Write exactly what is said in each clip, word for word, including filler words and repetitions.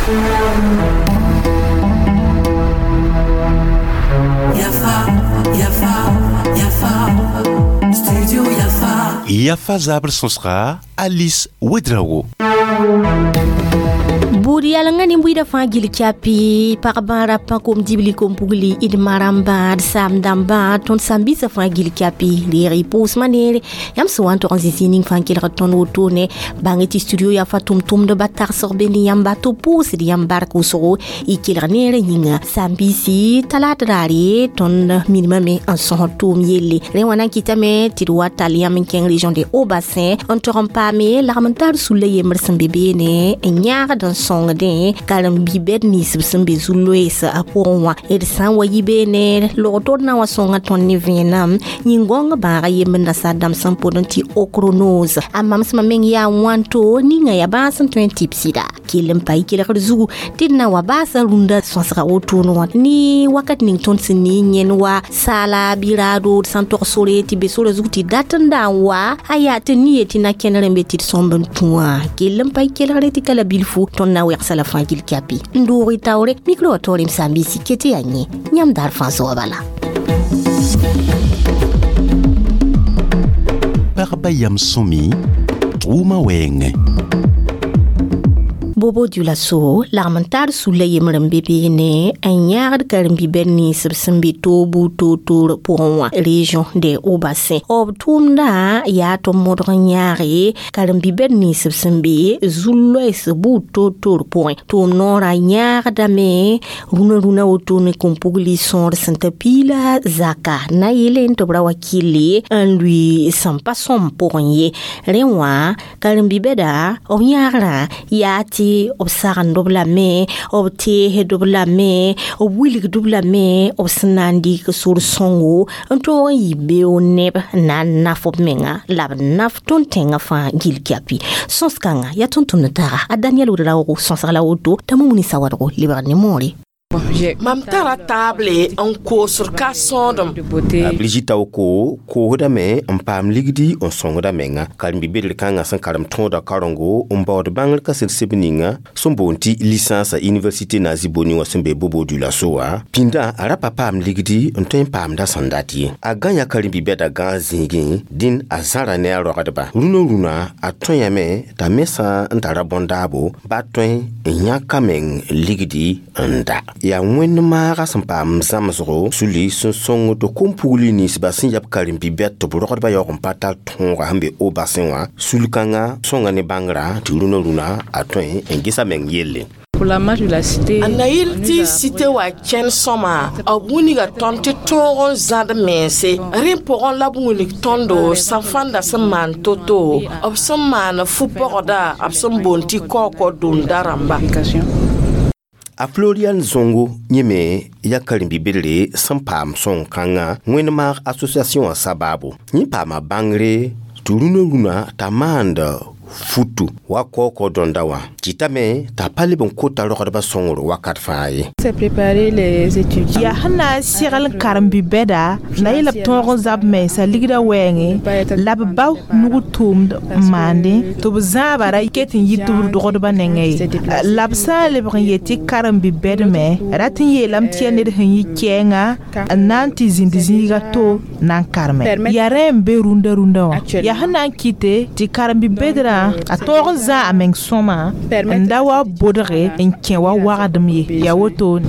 Yafa, Yafa, Yafa, Studio Yafa. Yafa zabr sõsga Alice Ouedraogo. Buud yalengã nin-buiidã fãa gil kyapi pag bãa rapa kom dibli kom pugli d maram bãad saam dãmbã tõnd sãn-biisã fãa gil kyapi reeg y pʋʋsmã neere yãmb sẽn wa n tog n zĩ zĩig ning fãa n kelgd tõnd wotone bãng tɩ studio yaa fa tʋm-tʋmdba tagsg be ne yãmba tɩ b pʋʋsd yãmb bark wʋsgo y kelg neerã yĩnga sãn-biisi talaat raare tõnd minimame n sõsd tʋʋm yelle rẽ wã na n kɩtame tɩ d wa tall yãmb n kẽng région de Haut-Bassin n tog n paame lagm n tar sulla yembr sẽn be beene n yãagd n sõngdẽ karen-bi-bɛd nins b sẽn be zu-loees a pʋgẽ wã d sã n wa yi beene log-tod na n wa sõnga tõnd ne vẽenam yĩn-gõng bãaga yembr nasaar dãmb sẽn pʋd n tɩ ochronose a mamsmã meng yaa wãnto ninga yaa bãas n tõe n tɩ b sɩda kell n pa y kelgr zugu tɩ d na n wa baasa rũndã sõsga wotone wã ne wakat ning tõnd sẽn ne yẽn wa saala bɩ raado d sã n tog sore tɩ be sora zug tɩ dat n da n wa a yaa tɩ ni ye tɩ na kẽner n be tɩ d sõmb n tũ wã kell n pa y kelgre tɩ ka la bilfu tõnd na n wegsa la fãa gil kyapi n doog y taoore micro wã taoor m sãn-biisi ket yaa yẽ yãmb daar fãa soaba bala. Pagba yam sõmi tʋʋma wɛɛngẽ. Bobo Dioulasso lagm n tar sulla yembr n be beene n yãagd karen-bi-bɛd nins b sẽn be toor-buud toor-toor pʋgẽ wã région de Haut-Bassin b tʋʋmdã yaa tɩ b modg n yãage karen-bi-bɛd nins b sẽn be zu-loɛs buud toor-toor pʋgẽ tʋʋm noorã yãagdame rũnã rũnã wotone kom-pugli sõor sẽn ta piila zaka na yeele tɩ b ra wa kɩlle n lʋɩ sẽn pa sõm pʋgẽ ye rẽ wã karen-bi-bɛda b yãagrã yaa tɩ b sagend b lame b teesd b lame b wilgd b lame b sẽn na n dɩk sor sõngo n tõog n yɩ beoog neb n na n naf b menga la b naf tõnd tẽngã fãa gil kyapi sõs-kãngã yaa tʋm-tʋmd taaga a Daniel Ouedraogo sõsg la woto t'a Mumuni Sawadgo lebg ne moore. Mam tara taable n koosd ka sõodem. Brigitte Aoko koosdame n paam ligdi n sõngda menga karen-bi-bedr kãngã sẽn karem tõoda karengo n baood bãngr kaset seb ninga sẽn boond tɩ licence a université Nazi Boni wã sẽn be Bobo Dioulasso wã pĩndã a ra pa paam ligdi n tõe n paamda sẽn dat ye a gã yã karen-bi-bɛda gãag zĩigẽ dĩn a zãra ne a rogdba rũnã rũnã a tõe t'a me sã n tara bõn-daabo ba tõe n yãk a meng ligdi n da yaa wẽnd maaga sẽn paam zãmsgo suli sẽn sõng tɩ kom-pugli ninsba sẽn yab karen-bi-bɛd tɩ b rogdbã yaoog n pa tar tõoga sẽn be Haut-Bassin wã sul-kãngã sõnga ne bãngrã tɩ rũnã rũnã a tõe n ges a meng yelle. A na yɩl tɩ site wa kẽn sõma b wilga tõnd tɩ tõog n zãd mense rẽ pʋgẽ la b wilg tõndo sã fãnda sẽn maan to-to b sẽn maan fu-pɔgda b sẽn boond tɩ kaookɔ dũnda rãmba. A Florian Zongo yẽ me yaa karen-bi-bedre sẽn paam sõng-kãngã wẽnd maag association wã sabaabo yẽ paama bãngre tɩ rũnã rũnã t'a maand futu wa kaookɔ dõnda wã kɩtame t'a pa leb n kota rogdbã sõngr wakat fãa ye. Yaa sẽn na n segl karen-bi-bɛda na yɩ la b tõog n zab mensã ligdã wɛɛngẽ la b bao nug tʋʋmd n maandẽ tɩ b zãaba ra ket n yit b dogdbã nengẽ ye la b sã n lebg n yet tɩ karen-bi-bɛd me rat n yeelame tɩ yaa ned sẽn yɩ kɛɛngã n na n tɩ zĩnd zĩiga to na n karme yaa rẽ n be rũndã rũndã wã yaa sẽn na n kɩte tɩ karen-bi-bɛdrã a tõog n zã a meng sõma n da wa bodge n kẽ wa wagdem ye yaa wotone.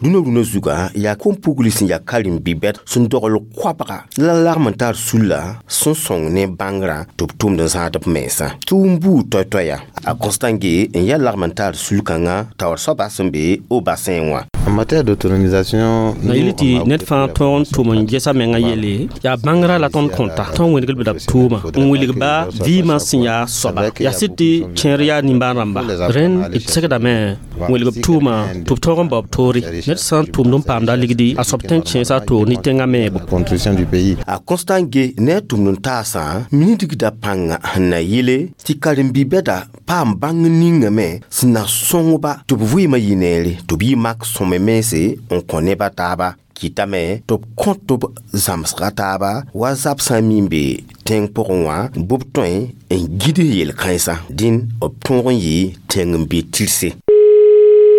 Rũnã rũnã zuga yaa kom-pugli sẽn yaa karen-bi-bɛd sẽn dogl koabga la lagm n tar sulla sẽn sõng ne bãngrã tɩ b tʋmd n zãad b mensã tʋʋm buud toay-toaya a Constant Ge n yaa lagm n tar sul-kãngã taoor soaba sẽn be Haut-Bassin wã. En matière d'autonomisation, na yɩl tɩ ned fãa tõog n tʋm n gesa menga yelle yaa bãngrã la tõnd kõta tõnd wẽneg b la b tʋʋma n wilg ba vɩɩmã sẽn yaa soaba yaa sɩd tɩ kẽer yaa nimbãan rãmba rẽnd d segdame n wilg b tʋʋma tɩ b tõog n bao b toore ned sã n tʋmd n paamda ligdi a soab tõe n kẽesa a toor ne tẽngã meebo. Contribution du pays. A Constant Ge ne a tʋmd n taasã minidgda pãnga sẽn na yele tɩ karen-bi-bɛda paam bãng ningame sẽn na sõngba tɩ b vɩɩmã yɩ neere tɩ b yɩ mak sõme mense n kõ nebã taaba kɩtame tɩ b kõ tɩ b zãmsga taaba wa zab sã n min be tẽng pʋgẽ wã bʋb tõe n gid yel-kãensã dĩn b tõog n yɩ tẽng n be tɩrse.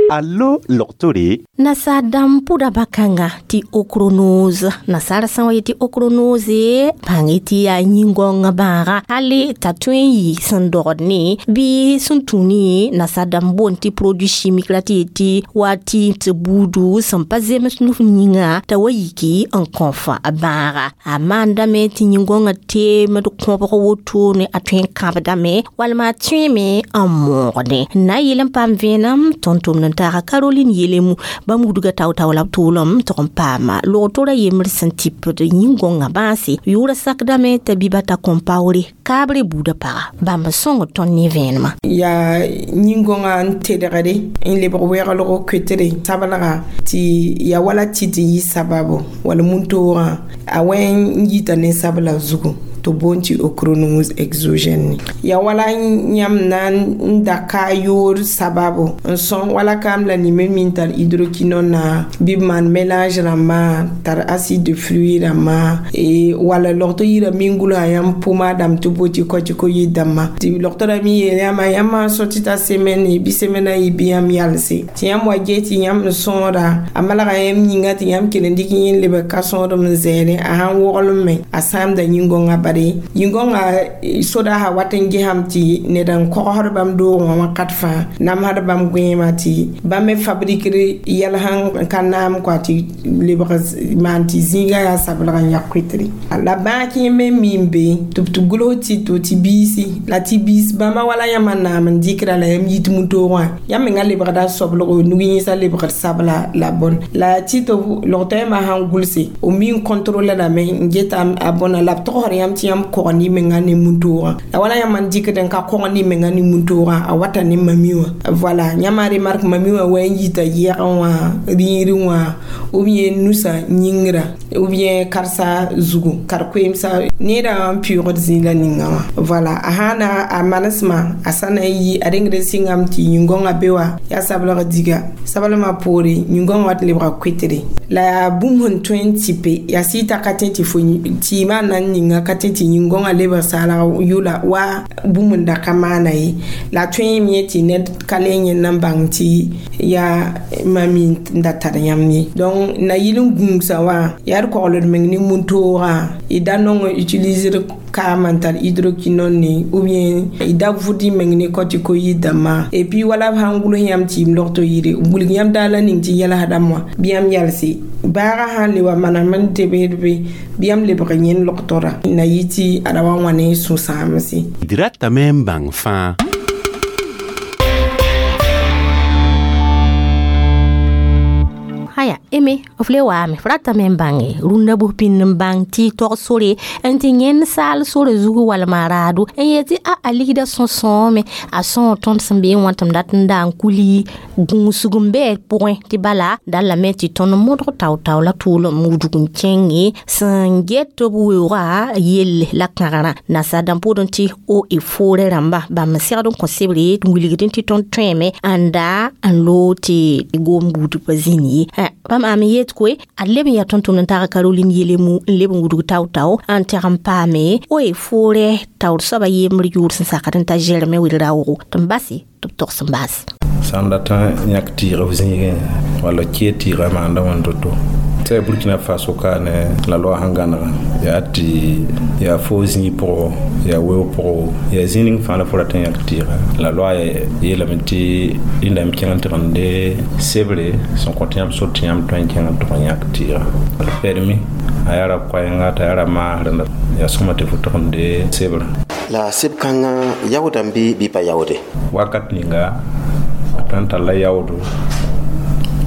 Allo logtore. Nasa dãmb pʋda bakãnga tɩ ochronose nasaara sã wa yetɩ ochronose bãng tɩ yaa yĩn-gãongã bãaga hali t'a tõe n yɩ sẽn dogd ne bɩ sẽn tũ ne nasa dãmb boond tɩ produit chimique la tɩ yetɩ wa tɩ tɩ buudu sẽn pa zems nuf yĩnga t'a wa yiki n kõf bãaga a maandame tɩ yĩn-gãongã teemd kõbg wotone a tõe n kãbdame walma a tõeme n moogdẽ n na n yeel n paam vẽenem tõnd tʋmd n taaga Caroline yelemu bãmb wudga tao-tao la b tʋʋlem tɩg n paama log-tora yembr sẽn tɩpd yĩn-gõngã bãase yʋʋra sakdame t'a Bibata Compaoré kaabre buudã paga bãmb sõng tõnd ne vẽenemã. Yaa yĩn-gõngã n tedgde n lebg wɛglgo koetre sablga tɩ yaa wala tɩt n yɩ sababo wala mun-toogã a wẽ n yita ne sabla zugu tɩ boond tɩ ochronose exogène ya wala yãmb na n da ka yoor sababu n sõng wala kaam la nime min tar hydroquinone na bɩ b maan mélange rãmbã tar acide de fruit rãmbã wala logto yira min-gulsã yãmb pomadame tɩ bo tɩ kɔtɩ yɩ dãmbã tɩ logto ra mi yeel yãmba yãmb sã tɩ ta semaine bɩ semaine a yi bɩ yãmb yalse tɩ yãmb wa ge tɩ yãmb n sõoda a malga yãmb yĩnga tɩ yãmb kell n dɩk yẽ lebg ka sõodem n zɛɛre a sãn woglem me a sãamda yĩn-gõngã bare yĩn-gõngã soda sã wat n gesame tɩ ned n kogsd bãmb doogẽ wã wakat fãa namsd bãmb gõeemã tɩ bãmb me fabrikr yɛl sẽn ka naam kɔa tɩ lebg maan tɩ zĩigã yaa sablg n yak koetre la bãag kẽ me mi n be tɩ b tɩ gʋls tɩ to tɩ biisi la tɩ biis bãmba wala yãmba naam n dɩkra la yãmb yit mu-toogã yãmb menga lebgda soblgo nug yẽsã lebgd sabla la bõn la tɩ tɩ logtɔ yãmba sãn gʋlse b mi n contrôle rame n geta a bõna la b togsd yãmb tɩ yãmb kog ne menga ne mun-toogã la wala yãmb n dɩkd n ka kog ne menga ne mun-toogã a wata ne mami wã voilà yãmba remarque mami wã wa n yita yɛgẽ wã rĩirẽ wã ou bien nusã yĩngrã ou bien karsa zugu kar-koeemsa neerã n pɩʋʋgd zĩig la ninga wã voilà a sã na a manesmã a sã na n yi a rengd n sɩngame tɩ yĩn-gõngã be wa yaa sablg diga sablmã poore yĩn-gõngã wat lebga koetre la yaa bũmb sẽn tõe n tɩpe yaa sɩɩta ka tẽ tɩ fo tɩɩmã na n ninga ka tẽ tɩ yĩn-gõngã lebg saalg yʋla wa bũmb n da ka maana ye la tõe yẽ tɩ ned ka le yẽnd n bãng tɩ yaa mami n da tar yãmb ye donc na yɩl n gũusa wã yaa d kogld meng ne mun-toogã y da nong utiliser kaam n tar hydroquinone ne ou bien y da vʋd y meng ne corticoïde dãmbã et puis wala b sãn gʋls yãmb tɩ y logto yire wilg yãmb daala ning tɩ yɛlsdame wã bɩ yãmb yalse baaga sãn le wa manam n tebsd be bɩ yãmb lebg yẽnd logtora na yɩ tɩ a ra wa wã ne sũ-sãamse. D ratame n bãng fãa. Haya eme f le waame f ratame n bãnge rũndã bʋs pĩnd n bãng tɩ tog sore n tɩ yẽnd saal sore zugu walma raado n yet tɩ a a ligda sõsõome a sõo tõnd sẽn bee wã tɩ m dat n da n kuli gũusg n bɩ pʋgẽ tɩ bala dallame tɩ tõnd modg tao-tao la tʋʋlem wudg n kẽnge sẽn get tɩ b weoogã yelle la kãgrã nasaar dãmb pʋʋdẽ tɩ o e foore rãmba bãmb n segd n kõ sebre n wilgdẽ tɩ tõnd tõeme n da n loog tɩ goom buud pa zĩnd ye. Bãmb ame yet koe ad leb n yaa tõnd-tʋmd n tag Caroline yelemu n leb n wudg tao-tao n tɛg n paame o e foorɛ taoor soaba yembr yʋʋr sẽn sakd n ta Germain Ouedraogo tɩ n base tɩ b togs n baas. Sã n dat n yãk tɩɩg f zĩigẽ walla kee tɩɩga maanda wãn toto tɩ Burkina Faso ka ne la loi sẽn gãnega yaa tɩ yaa fo zĩig pʋgɔ yaa weoog pʋgɔ yaa zĩig ning fãa la fo rat n yãk tɩɩga la loi yeelame tɩ rẽndame kẽng n tɩg n de sebre sẽn kõ tɩ yãmb sor tɩ yãmb tõe n kẽng n tʋg n yãk tɩɩga la permis a yaa ra koɛɛnga t'a yaa ra maasrẽ yaa sõma tɩ fo tʋg n de sebrã. La seb kãngã yaoodame bɩ bɩ pa yaoode? Wakat ninga a tõe n talla yaoodo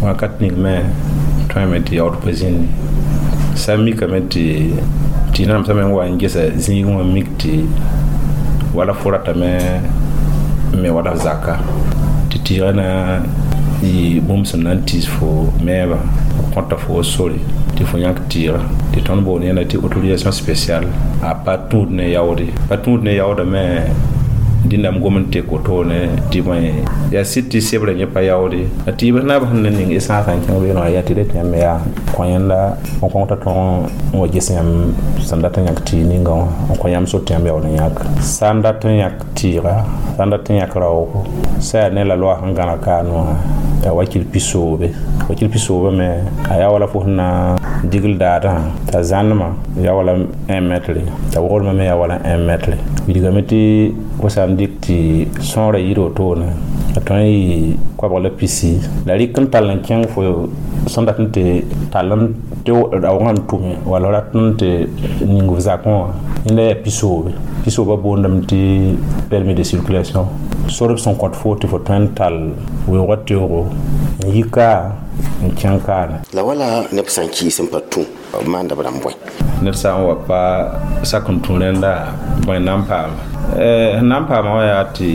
wakat ning me tõeme tɩ yaood pa zĩndi sã n mikame tɩ tɩ namsame n wa n gesa zĩigẽ wã mik tɩ wala fo ratame n me wala f zaka tɩ tɩɩgã na yɩ bũmb sẽn na n tiis fo meebã kõta fo sore tɩ fo yãk tɩɩga tɩ tõnd boond yẽna tɩ autorisation spéciale a pa tũud ne yaoode pa tũud ne yaoodame Dĩndame gom n tek wotone tɩ bõe yaa sɩd tɩ sebrã yẽ pa yaoode la tɩɩbs naab sẽn na ning essence n kẽng beene wã yaa tɩ ret yãmb me yaa kõ yẽnda n kõng t'a tõog n wa ges yãmb sẽn dat n yãk tɩɩg ninga wã n kõ yãmb sor tɩ yãmb yaool n yãk sã n dat n yãk tɩɩga sã n dat n yãk raoogo sã yaa ne la loa sẽn gãna kaane wã yaa wakil pisoobe wakil pisoobe me a yaa wala fo sẽn na digl daadã t'a zãnema yaa wala un mètre t'a wogrmã me yaa wala un mètre wilgame tɩ fo sã n dɩk tɩ sõora yir wotone a tõe n yɩ koabg la pisi la rɩk n tall n kẽng fo sẽn dat n tɩ tall n tɩ raoogã n tʋme wala rat n tɩ ning f zakẽ wã yẽnda yaa pisoobe pisoobã boondame tɩ permis de circulation sor b sẽn kõt fo tɩ fo tõe n tall weoogã teoogo n yi ka n kẽng kaane la wala neb sã n kɩɩs n pa tũ b maanda b rãmb bõe ned sã n wa pa sak n tũ rẽnda bõe na n paama sẽn na n paama wã yaa tɩ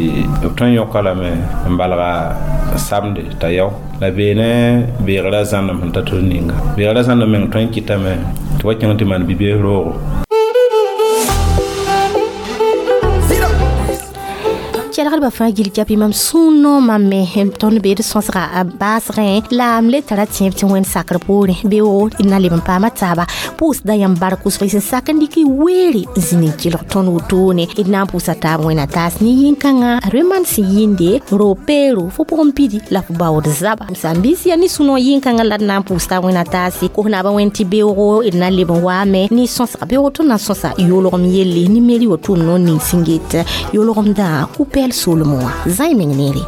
b tõe n yõka lame n balga samde t'a yao la beene beegrã zãnem sẽn ta tɩ d ninga beegrã zãnem meng tõe n kɩtame tɩ wa kẽng tɩ maan bi-bees roogo. Kelgdbã fãa gil kapi mam sũ-noomã me tõnd bee d sõsga baasgẽ la m le tara tẽeb tɩ wẽnd sakr poorẽ beoog d na leb n paama taaba pʋʋsda yãmb bark wʋsg sẽn sak n dɩk weere n zĩnd n kelg tõnd wotone d na n pʋʋsa taab wẽna taas ne yĩn-kãngã remand sẽn yĩnde ro-peero fo pʋgẽ pidi la fo baood zaba m sãn-biis yaa ne sũ-noog yĩn-kãngã la d na n pʋʋs taab wẽna taase kos naabã wẽnd tɩ beoogo d na leb n waame ne sõsga beoog tõnd na n sõsa yoolgem yelle ne meri wa tʋʋm noor ning sẽn get yoolgemdã kupɛɛl solem wã zãe meng neere.